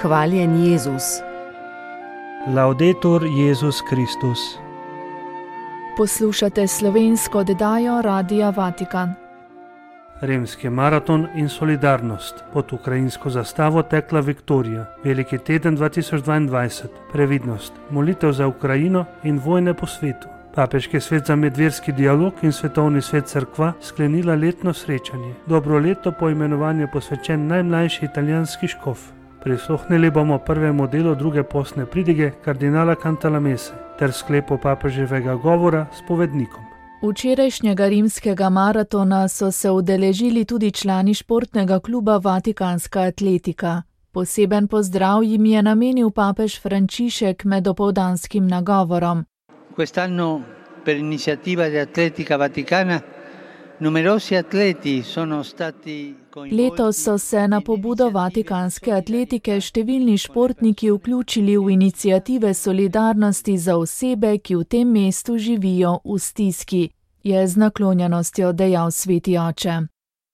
Hvaljen Jezus. Laudetur Jezus Kristus. Poslušate slovensko oddajo Radia Vatikan. Rimski maraton in solidarnost. Pod ukrajinsko zastavo tekla Viktorija. Veliki teden 2022. Previdnost. Molitev za Ukrajino in vojne po svetu. Papeški svet za medverski dialog in svetovni svet cerkva sklenila letno srečanje. Dobro leto po imenovanju posvečen najmlajši italijanski škof. Prisluhnili bomo prvemu delu druge postne pridige kardinala Cantalamesse ter sklepu papeževega govora s povednikom. Včerajšnjega rimskega maratona so se udeležili tudi člani športnega kluba Vatikanska atletika. Poseben pozdrav jim je namenil papež Frančišek med dopoldanskim nagovorom. Quest'anno per iniziativa di Atletica Vaticana numerosi atleti sono stati coinvolti. Letos so se na pobudo Vatikanske atletike številni športniki vključili v iniciative solidarnosti za osebe, ki v tem mestu živijo v stiski, je z naklonjenostjo dejal sveti oče.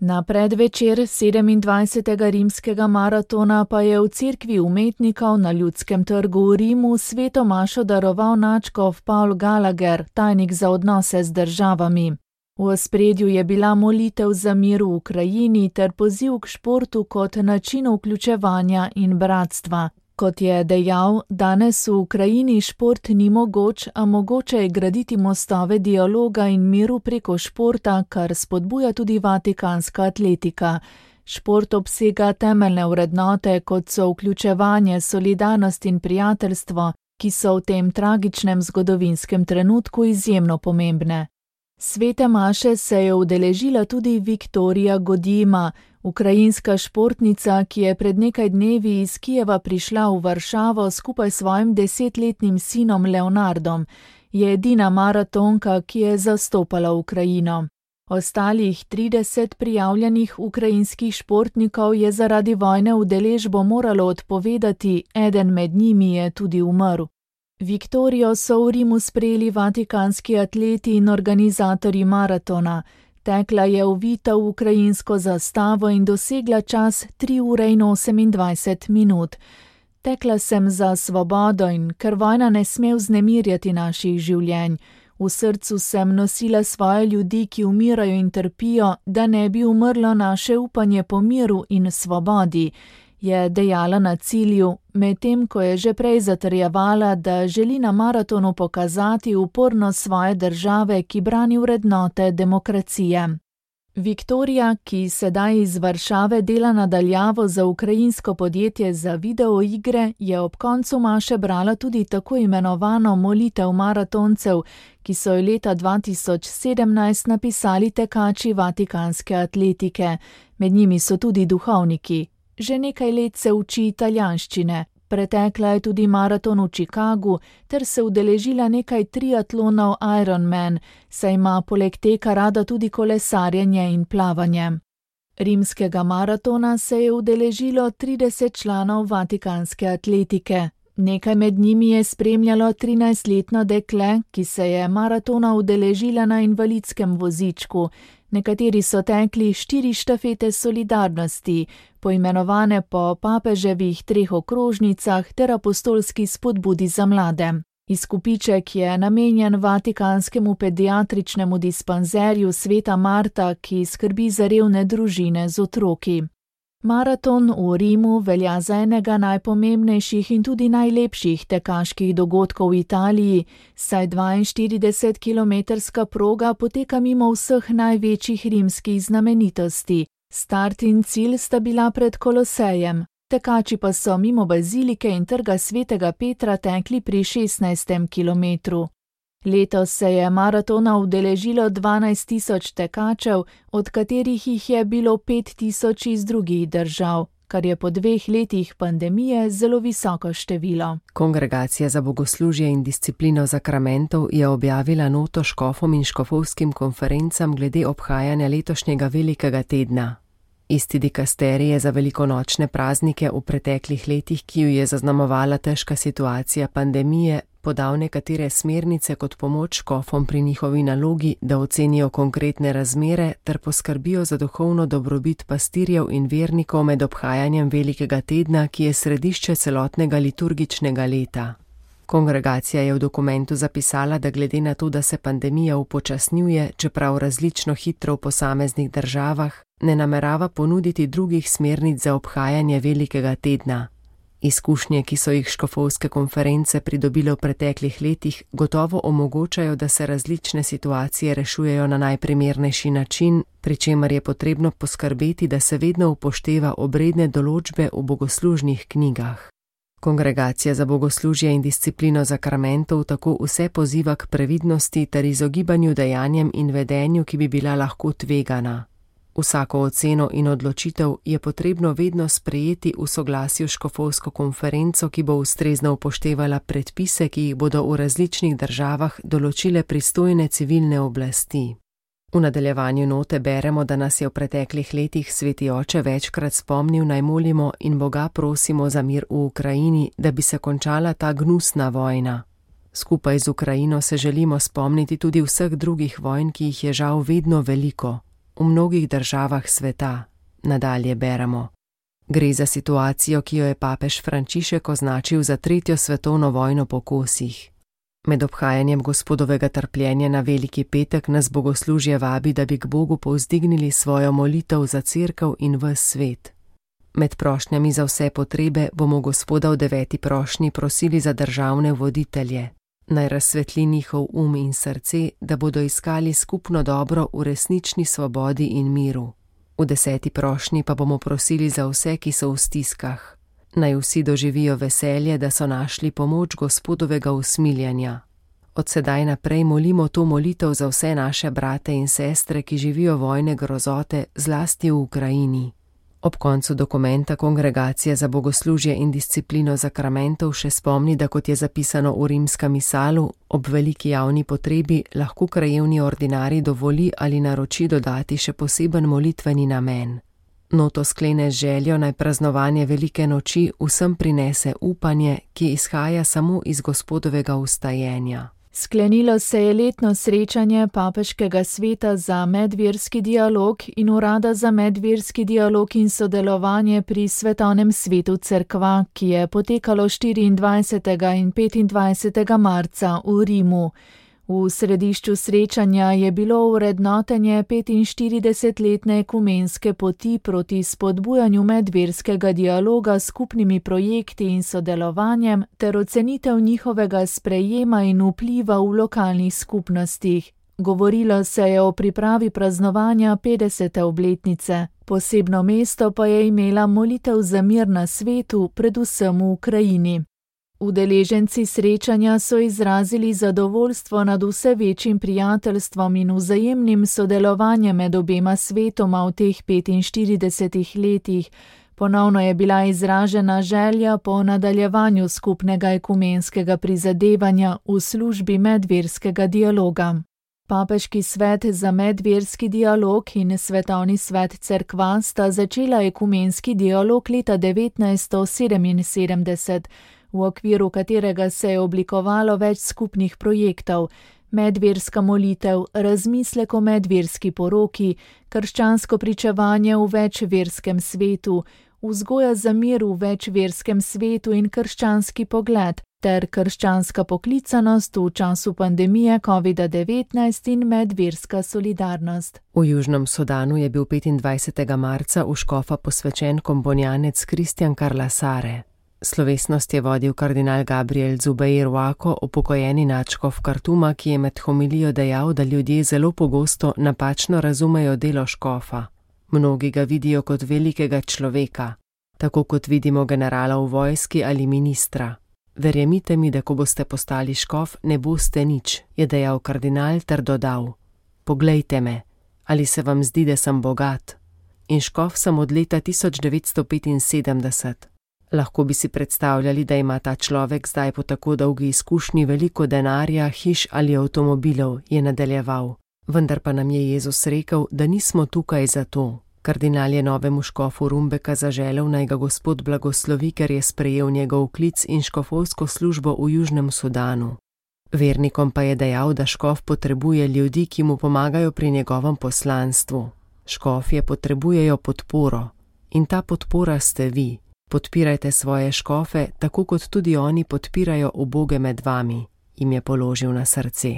Na predvečer 27. rimskega maratona pa je v cerkvi umetnikov na Ljudskem trgu v Rimu sveto mašo daroval nadškof Paul Gallagher, tajnik za odnose z državami. V ospredju je bila molitev za mir v Ukrajini ter poziv k športu kot načinu vključevanja in bratstva. Kot je dejal, danes v Ukrajini šport ni mogoč, a mogoče je graditi mostove dialoga in miru preko športa, kar spodbuja tudi Vatikanska atletika. Šport obsega temeljne vrednote, kot so vključevanje, solidarnost in prijateljstvo, ki so v tem tragičnem zgodovinskem trenutku izjemno pomembne. Svete maše se je udeležila tudi Viktorija Godima, ukrajinska športnica, ki je pred nekaj dnevi iz Kijeva prišla v Varšavo skupaj s svojim 10-letnim sinom Leonardom. Je edina maratonka, ki je zastopala Ukrajino. Ostalih 30 prijavljenih ukrajinskih športnikov je zaradi vojne udeležbo moralo odpovedati, eden med njimi je tudi umrl. Viktorijo so v Rimu sprejeli vatikanski atleti in organizatorji maratona. Tekla je ovita v ukrajinsko zastavo in dosegla čas 3 ure in 28 minut. Tekla sem za svobodo in ker vojna ne sme vznemirjati naših življenj. V srcu sem nosila svoje ljudi, ki umirajo in trpijo, da ne bi umrlo naše upanje po miru in svobodi, je dejala na cilju, medtem ko je že prej zatrjevala, da želi na maratonu pokazati upornost svoje države, ki brani vrednote demokracije. Viktorija, ki sedaj iz Varšave dela nadaljavo za ukrajinsko podjetje za videoigre, je ob koncu maše brala tudi tako imenovano molitev maratoncev, ki so jo leta 2017 napisali tekači Vatikanske atletike. Med njimi so tudi duhovniki. Že nekaj let se uči italijanščine, pretekla je tudi maraton v Chicagu ter se udeležila nekaj triatlonov Ironman, saj ima poleg teka rada tudi kolesarjenje in plavanje. Rimskega maratona se je udeležilo 30 članov Vatikanske atletike. Nekaj med njimi je spremljalo 13-letno dekle, ki se je maratona udeležila na invalidskem vozičku. Nekateri so tekli 4 štafete solidarnosti, poimenovane po papeževih 3 okrožnicah ter apostolski spodbudi za mlade. Izkupiček je namenjen Vatikanskemu pediatričnemu dispanzerju Sveta Marta, ki skrbi za revne družine z otroki. Maraton v Rimu velja za enega najpomembnejših in tudi najlepših tekaških dogodkov v Italiji, saj 42-kilometrska proga poteka mimo vseh največjih rimskih znamenitosti. Start in cilj sta bila pred Kolosejem, tekači pa so mimo bazilike in trga svetega Petra tekli pri 16. kilometru. Letos se je maratona udeležilo 12.000 tekačev, od katerih jih je bilo 5.000 iz drugih držav, kar je po 2 letih pandemije zelo visoko število. Kongregacija za bogoslužje in disciplino zakramentov je objavila noto škofom in škofovskim konferencam glede obhajanja letošnjega velikega tedna. Isti dikasterij za velikonočne praznike v preteklih letih, ki ju je zaznamovala težka situacija pandemije, podal nekatere smernice kot pomoč škofom pri njihovi nalogi, da ocenijo konkretne razmere ter poskrbijo za duhovno dobrobit pastirjev in vernikov med obhajanjem velikega tedna, ki je središče celotnega liturgičnega leta. Kongregacija je v dokumentu zapisala, da glede na to, da se pandemija upočasnjuje, čeprav različno hitro v posameznih državah, ne namerava ponuditi drugih smernic za obhajanje velikega tedna. Izkušnje, ki so jih škofovske konference pridobile v preteklih letih, gotovo omogočajo, da se različne situacije rešujejo na najprimernejši način, pri čemer je potrebno poskrbeti, da se vedno upošteva obredne določbe v bogoslužnih knjigah. Kongregacija za bogoslužje in disciplino zakramentov tako vse poziva k previdnosti ter izogibanju dejanjem in vedenju, ki bi bila lahko tvegana. Vsako oceno in odločitev je potrebno vedno sprejeti v soglasju s škofovsko konferenco, ki bo ustrezno upoštevala predpise, ki jih bodo v različnih državah določile pristojne civilne oblasti. V nadaljevanju note beremo, da nas je v preteklih letih Sveti Oče večkrat spomnil, naj molimo in Boga prosimo za mir v Ukrajini, da bi se končala ta gnusna vojna. Skupaj z Ukrajino se želimo spomniti tudi vseh drugih vojn, ki jih je žal vedno veliko. V mnogih državah sveta, nadalje beremo. Gre za situacijo, ki jo je papež Frančišek označil za 3. svetovno vojno po kosih. Med obhajanjem Gospodovega trpljenja na Veliki petek nas bogoslužje vabi, da bi k Bogu povzdignili svojo molitev za cerkev in ves svet. Med prošnjami za vse potrebe bomo Gospoda v 9. prošnji prosili za državne voditelje. Naj razsvetli njihov in srce, da bodo iskali skupno dobro v resnični svobodi in miru. V 10. prošnji pa bomo prosili za vse, ki so v stiskah. Naj vsi doživijo veselje, da so našli pomoč Gospodovega usmiljanja. Od sedaj naprej molimo to molitev za vse naše brate in sestre, ki živijo vojne grozote, zlasti v Ukrajini. Ob koncu dokumenta Kongregacija za bogoslužje in disciplino zakramentov še spomni, da kot je zapisano v rimskem misalu, ob veliki javni potrebi lahko krajevni ordinarij dovoli ali naroči dodati še poseben molitveni namen. Noto sklene z željo, naj praznovanje velike noči vsem prinese upanje, ki izhaja samo iz Gospodovega vstajenja. Sklenilo se je letno srečanje Papeškega sveta za medverski dialog in Urada za medverski dialog in sodelovanje pri Svetovnem svetu cerkva, ki je potekalo 24. in 25. marca v Rimu. V središču srečanja je bilo vrednotenje 45-letne ekumenske poti proti spodbujanju medverskega dialoga s skupnimi projekti in sodelovanjem ter ocenitev njihovega sprejema in vpliva v lokalnih skupnostih. Govorilo se je o pripravi praznovanja 50. obletnice. Posebno mesto pa je imela molitev za mir na svetu, predvsem v Ukrajini. Udeleženci srečanja so izrazili zadovoljstvo nad vse večjim prijateljstvom in vzajemnim sodelovanjem med obema svetoma v teh 45 letih. Ponovno je bila izražena želja po nadaljevanju skupnega ekumenskega prizadevanja v službi medverskega dialoga. Papeški svet za medverski dialog in Svetovni svet cerkva sta začela ekumenski dialog leta 1977, v okviru katerega se je oblikovalo več skupnih projektov: medverska molitev, razmislek o medverski poroki, krščansko pričevanje v večverskem svetu, vzgoja za mir v večverskem svetu in krščanski pogled, ter krščanska poklicanost v času pandemije COVID-19 in medverska solidarnost. V Južnem Sudanu je bil 25. marca v škofa posvečen komponjanec Kristjan Karlasare. Slovesnost je vodil kardinal Gabriel Zubeir Wako, upokojeni nadškof Kartuma, ki je med homilijo dejal, da ljudje zelo pogosto napačno razumejo delo škofa. Mnogi ga vidijo kot velikega človeka, tako kot vidimo generala v vojski ali ministra. Verjemite mi, da ko boste postali škof, ne boste nič, je dejal kardinal ter dodal: Poglejte me, ali se vam zdi, da sem bogat? In škof sem od leta 1975. Lahko bi si predstavljali, da ima ta človek zdaj po tako dolgi izkušnji veliko denarja, hiš ali avtomobilov, je nadaljeval. Vendar pa nam je Jezus rekel, da nismo tukaj zato, Kardinal je novemu škofu Rumbeka zaželel, naj ga Gospod blagoslovi, ker je sprejel njegov klic in škofovsko službo v Južnem Sudanu. Vernikom pa je dejal, da škof potrebuje ljudi, ki mu pomagajo pri njegovem poslanstvu. Škofje potrebujejo podporo in ta podpora ste vi. Podpirajte svoje škofe, tako kot tudi oni podpirajo uboge med vami, jim je položil na srce.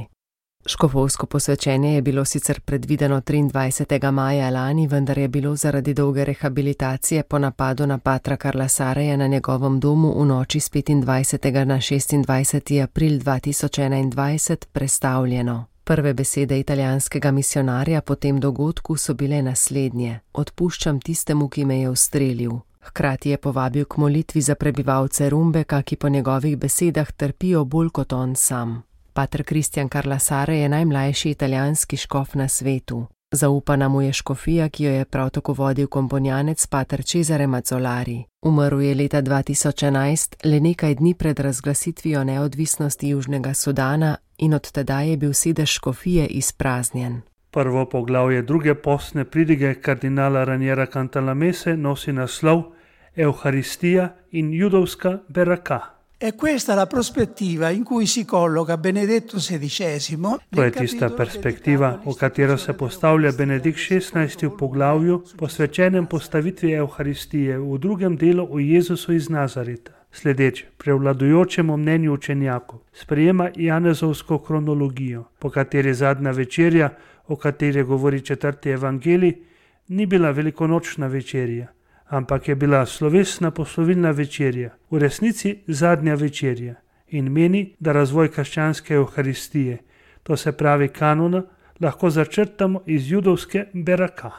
Škofovsko posvečenje je bilo sicer predvideno 23. maja lani, vendar je bilo zaradi dolge rehabilitacije po napadu na patra Karla Sareja na njegovem domu v noči z 25. na 26. april 2021 prestavljeno. Prve besede italijanskega misionarja po tem dogodku so bile naslednje: odpuščam tistemu, ki me je ustrelil. Hkrati je povabil k molitvi za prebivalce Rumbeka, ki po njegovih besedah trpijo bolj kot on sam. Pater Kristjan Karla Sare je najmlajši italijanski škof na svetu. Zaupana mu je škofija, ki jo je prav tako vodil komponjanec pater Cesare Mazzolari. Umrl je leta 2011, le nekaj dni pred razglasitvijo neodvisnosti Južnega Sudana in od tedaj je bil sedež škofije izpraznjen. Prvo poglavje druge postne pridige kardinala Raniera Cantalamesse nosi naslov Euharistija in judovska beraka. È questa la prospettiva in cui si colloca Benedetto XVI. To je tista perspektiva, v katero se postavlja Benedikt XVI v poglavju posvečenem postavitvi Euharistije v drugem delu o Jezusu iz Nazareta. Sledeč prevladujočemu mnenju učenjakov sprejema Janezovsko kronologijo, po kateri zadnja večerja, o kateri govori 4. evangelij, ni bila velikonočna večerja, ampak je bila slovesna poslovilna večerja, v resnici zadnja večerja, in meni, da razvoj krščanske Euharistije, to se pravi kanona, lahko začrtamo iz judovske beraka.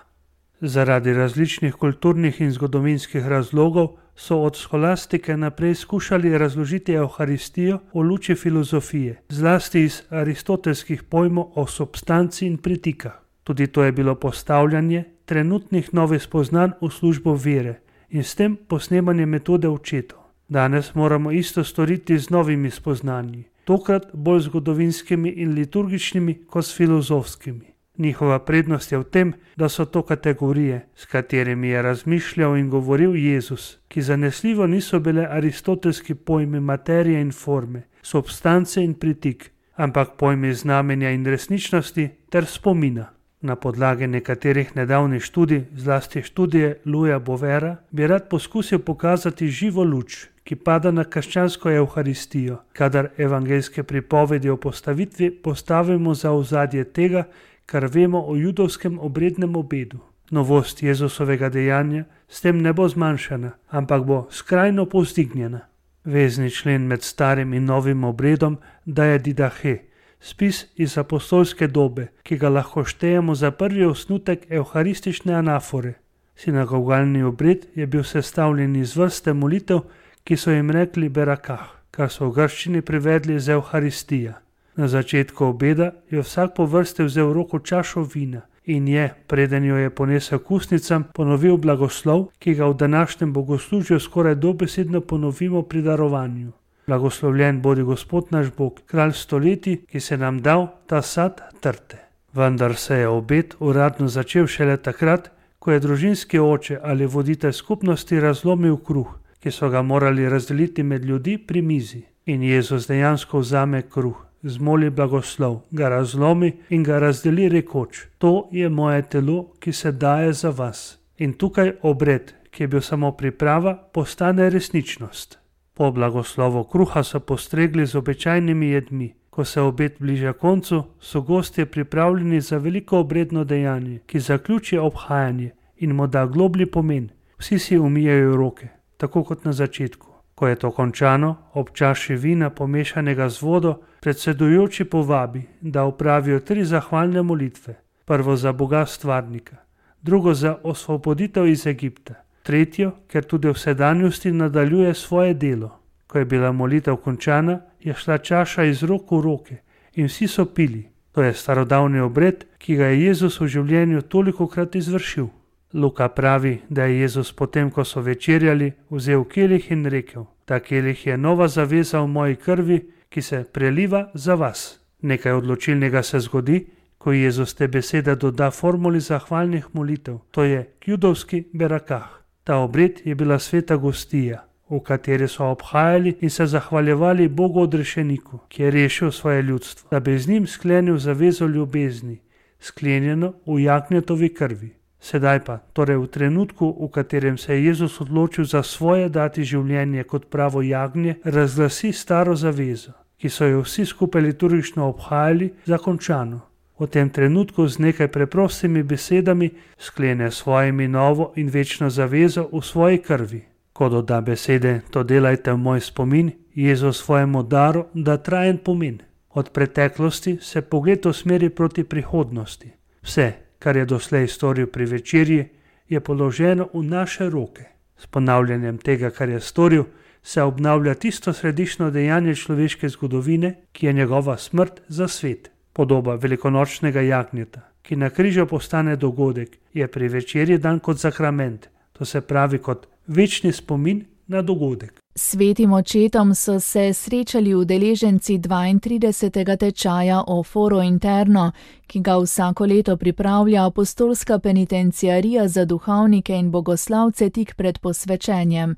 Zaradi različnih kulturnih in zgodovinskih razlogov so od sholastike naprej skušali razložiti Euharistijo v luči filozofije, zlasti iz aristotelskih pojmov o substanci in pritikah. Tudi to je bilo postavljanje trenutnih novih spoznanj v službo vere in s tem posnemanje metode očetov. Danes moramo isto storiti z novimi spoznanji, tokrat bolj zgodovinskimi in liturgičnimi kot filozofskimi. Njihova prednost je v tem, da so to kategorije, s katerimi je razmišljal in govoril Jezus, ki zanesljivo niso bile aristotelski pojmi materije in forme, substance in pritik, ampak pojmi znamenja in resničnosti ter spomina. Na podlagi nekaterih nedavnih študij, zlasti študije Louisa Bouvera, bi rad poskusil pokazati živo luč, ki pada na krščansko Euharistijo, kadar evangeljske pripovedi o postavitvi postavimo za ozadje tega, kar vemo o judovskem obrednem obedu. Novost Jezusovega dejanja s tem ne bo zmanjšana, ampak bo skrajno povzdignjena. Vezni člen med starim in novim obredom daje didahe, spis iz apostolske dobe, ki ga lahko štejemo za prvi osnutek evharistične anafore. Sinagogalni obred je bil sestavljen iz vrste molitev, ki so jim rekli berakah, kar so v grščini privedli z Euharistija. Na začetku obeda je vsak po vrsti vzel v roko čašo vina in je, preden jo je ponesel k ustnicam, ponovil blagoslov, ki ga v današnjem bogoslužju skoraj dobesedno ponovimo pri darovanju. Blagoslovljen bodi Gospod naš Bog, kralj stoletij, ki se nam dal ta sad trte. Vendar se je obed uradno začel šele takrat, ko je družinski oče ali voditelj skupnosti razlomil kruh, ki so ga morali razdeliti med ljudi pri mizi. In Jezus dejansko vzame kruh, zmoli blagoslov, ga razlomi in ga razdeli rekoč: to je moje telo, ki se daje za vas. In tukaj obred, ki je bil samo priprava, postane resničnost. Po blagoslovu kruha so postregli z običajnimi jedmi. Ko se obed bliža koncu, so gostje pripravljeni za veliko obredno dejanje, ki zaključi obhajanje in mu da globlji pomen. Vsi si umijejo roke, tako kot na začetku. Ko je to končano, ob čaši vina pomešanega z vodo, predsedujoči povabi, da opravijo 3 zahvalne molitve. Prvo za Boga stvarnika, drugo za osvoboditev iz Egipta, tretjo, ker tudi v sedanjosti nadaljuje svoje delo. Ko je bila molitev končana, je šla čaša iz rok v roke in vsi so pili. To je starodavni obred, ki ga je Jezus v življenju tolikokrat izvršil. Luka pravi, da je Jezus potem, ko so večerjali, vzel kelih in rekel: ta kelih je nova zaveza v moji krvi, ki se preliva za vas. Nekaj odločilnega se zgodi, ko Jezus te besede doda formuli zahvalnih molitev, to je judovski berakah. Ta obred je bila sveta gostija, v kateri so obhajali in se zahvaljevali Bogu odrešeniku, ki je rešil svoje ljudstvo, da bi z njim sklenil zavezo ljubezni, sklenjeno v jagnjetovi krvi. Sedaj pa, torej v trenutku, v katerem se je Jezus odločil za svoje dati življenje kot pravo jagnje, razglasi staro zavezo, ki so jo vsi skupaj liturgično obhajali, za končano. V tem trenutku z nekaj preprostimi besedami sklene svojimi novo in večno zavezo v svoji krvi. Ko doda besede, to delajte v moj spomin, Jezus svojemu daru da trajen pomen. Od preteklosti se pogled usmeri proti prihodnosti. Vse, kar je doslej storil pri večerji, je položeno v naše roke. S ponavljanjem tega, kar je storil, se obnavlja tisto središčno dejanje človeške zgodovine, ki je njegova smrt za svet. Podoba velikonočnega jagnjeta, ki na križu postane dogodek, je pri večerji dan kot sakrament, to se pravi kot večni spomin na dogodek. Svetim očetom so se srečali udeleženci 32. tečaja o Foro Interno, ki ga vsako leto pripravlja apostolska penitenciarija za duhovnike in bogoslavce tik pred posvečenjem.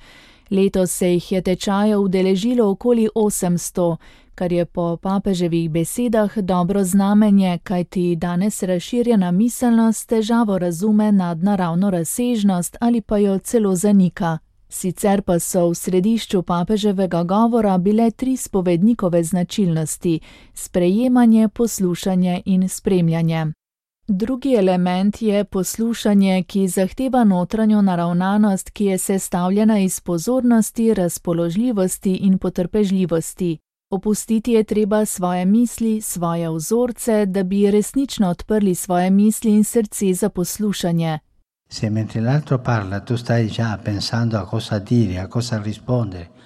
Letos se jih je tečaja udeležilo okoli 800, kar je po papeževih besedah dobro znamenje, kajti danes razširjena miselnost težavo razume nadnaravno razsežnost ali pa jo celo zanika. Sicer pa so v središču papeževega govora bile 3 spovednikove značilnosti: sprejemanje, poslušanje in spremljanje. Drugi element je poslušanje, ki zahteva notranjo naravnanost, ki je sestavljena iz pozornosti, razpoložljivosti in potrpežljivosti. Opustiti je treba svoje misli, svoje vzorce, da bi resnično odprli svoje misli in srce za poslušanje.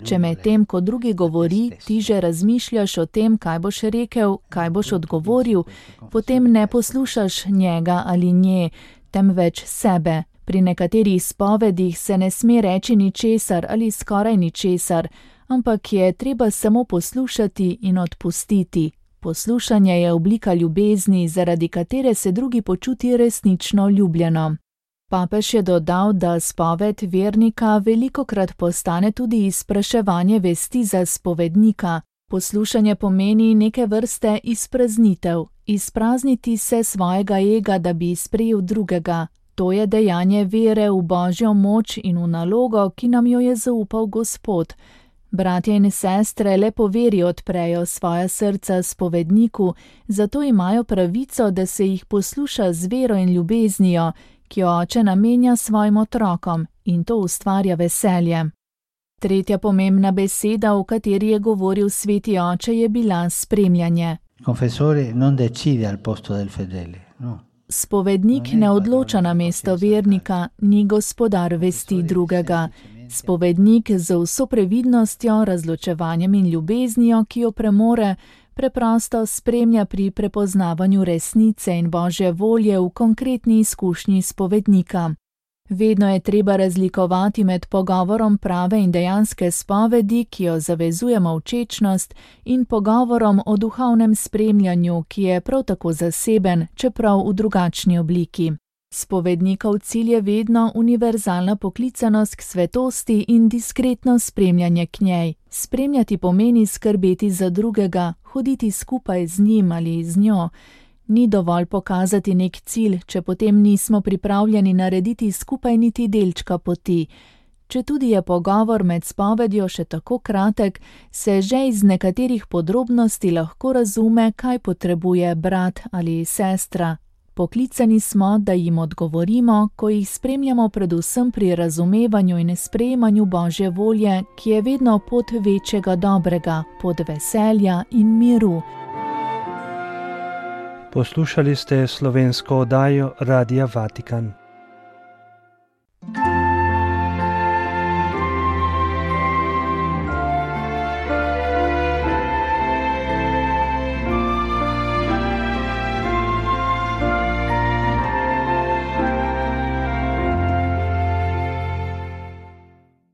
Če medtem, ko drugi govori, ti že razmišljaš o tem, kaj boš rekel, kaj boš odgovoril, potem ne poslušaš njega ali nje, temveč sebe. Pri nekaterih spovedih se ne sme reči ničesar ali skoraj ničesar, ampak je treba samo poslušati in odpustiti. Poslušanje je oblika ljubezni, zaradi katere se drugi počuti resnično ljubljeno. Papež je dodal, da spoved vernika velikokrat postane tudi izpraševanje vesti za spovednika. Poslušanje pomeni neke vrste izpraznitev, izprazniti se svojega ega, da bi sprejel drugega. To je dejanje vere v Božjo moč in v nalogo, ki nam jo je zaupal Gospod. Bratje in sestre le po veri odprejo svoja srca spovedniku, zato imajo pravico, da se jih posluša z vero in ljubeznijo, ki jo oče namenja svojim otrokom, in to ustvarja veselje. Tretja pomembna beseda, v kateri je govoril sveti oče, je bila spremljanje. Spovednik ne odloča namesto vernika, ni gospodar vesti drugega. Spovednik z vso previdnostjo, razločevanjem in ljubeznijo, ki jo premore, preprosto spremlja pri prepoznavanju resnice in Božje volje v konkretni izkušnji spovednika. Vedno je treba razlikovati med pogovorom prave in dejanske spovedi, ki jo zavezuje molčečnost, in pogovorom o duhovnem spremljanju, ki je prav tako zaseben, čeprav v drugačni obliki. Spovednikov cilj je vedno univerzalna poklicanost k svetosti in diskretno spremljanje k njej. Spremljati pomeni skrbeti za drugega, hoditi skupaj z njim ali z njo. Ni dovolj pokazati nek cilj, če potem nismo pripravljeni narediti skupaj niti delčka poti. Četudi je pogovor med spovedjo še tako kratek, se že iz nekaterih podrobnosti lahko razume, kaj potrebuje brat ali sestra. Poklicani smo, da jim odgovorimo, ko jih spremljamo predvsem pri razumevanju in sprejemanju Božje volje, ki je vedno pot večjega dobrega, pot veselja in miru. Poslušali ste slovensko oddajo Radia Vatikan.